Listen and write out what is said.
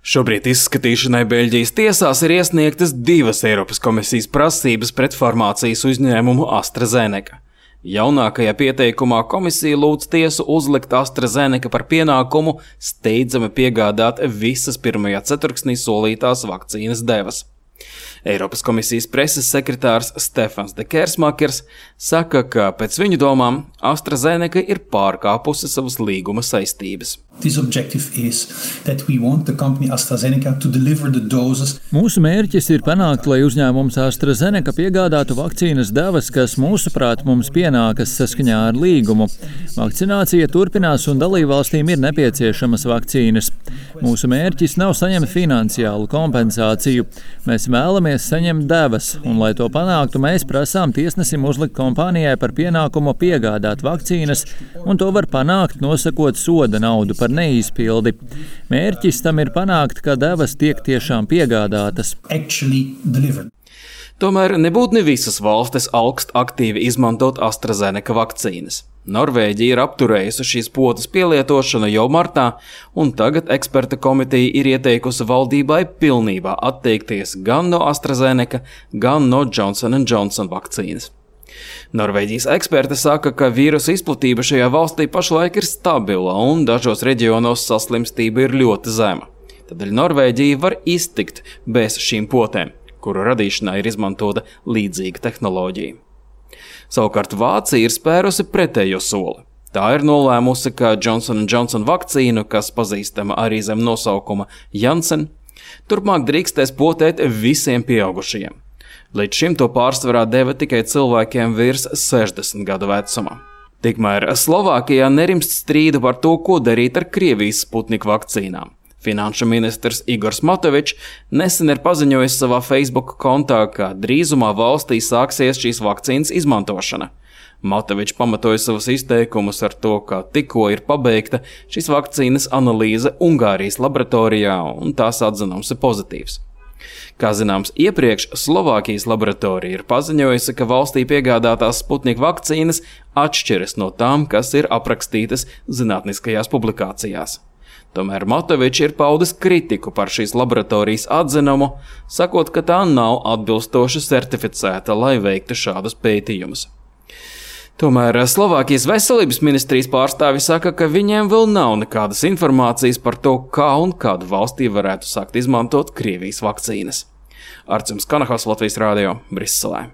Šobrīd izskatīšanai Beļģijas tiesās ir iesniegtas 2 Eiropas komisijas prasības pret farmācijas uzņēmumu AstraZeneca. Jaunākajā pieteikumā komisija lūdz tiesu uzlikt AstraZeneca par pienākumu steidzami piegādāt visas pirmajā ceturksnī solītās vakcīnas devas. Eiropas komisijas preses sekretārs Stefans de Kersmakers saka, ka pēc viņu domām AstraZeneca ir pārkāpusi savas līguma saistības. Mūsu mērķis ir panākt, lai uzņēmums AstraZeneca piegādātu vakcīnas devas, kas mūsuprāt mums pienākas saskaņā ar līgumu. Vakcinācija turpinās un dalībvalstīm ir nepieciešamas vakcīnas. Mūsu mērķis nav saņemt finansiālu kompensāciju. Mēs vēlamies saņemt devas, un, lai to panāktu, mēs prasām tiesnesim uzlikt kompānijai par pienākumu piegādāt vakcīnas, un to var panākt, nosakot soda naudu par neizpildi. Mērķis tam ir panākt, ka devas tiek tiešām piegādātas. Tomēr nebūtu ne visas valstis augst aktīvi izmantot AstraZeneca vakcīnas. Norvēģija ir apturējusi šīs potes pielietošanu jau martā, un tagad eksperta komiteja ir ieteikusi valdībai pilnībā atteikties gan no AstraZeneca, gan no Johnson & Johnson vakcīnas. Norvēģijas eksperti saka, ka vīrusa izplatība šajā valstī pašlaik ir stabila un dažos reģionos saslimstība ir ļoti zema. Tādēļ Norvēģija var iztikt bez šīm potēm, kuru radīšanā ir izmantota līdzīga tehnoloģija. Savukārt Vācija ir spērusi pretējo soli. Tā ir nolēmusi, ka Johnson & Johnson vakcīnu, kas pazīstama arī zem nosaukuma Janssen, turpmāk drīkstēs potēt visiem pieaugušajiem. Līdz šim to pārsvarā deva tikai cilvēkiem virs 60 gadu vecuma. Tikmēr Slovākijā nerimst strīdu par to, ko darīt ar Krievijas Sputnik vakcīnām. Finanšu ministrs Igors Matovičs nesen ir paziņojis savā Facebook kontā, ka drīzumā valstī sāksies šīs vakcīnas izmantošana. Matovičs pamatoja savus izteikumus ar to, ka tikko ir pabeigta šīs vakcīnas analīze Ungārijas laboratorijā un tās atzinums ir pozitīvs. Kā zināms, iepriekš Slovākijas laboratorija ir paziņojusi, ka valstī piegādātās Sputnik vakcīnas atšķiras no tām, kas ir aprakstītas zinātniskajās publikācijās. Tomēr Matovičs ir paudis kritiku par šīs laboratorijas atzinumu, sakot, ka tā nav atbilstoši certificēta, lai veiktu šādus pētījumus. Tomēr Slovākijas veselības ministrijas pārstāvi saka, ka viņiem vēl nav nekādas informācijas par to, kā un kādu valstī varētu sākt izmantot Krievijas vakcīnas. Arcums Kanahas, Latvijas Rādio, Briselē.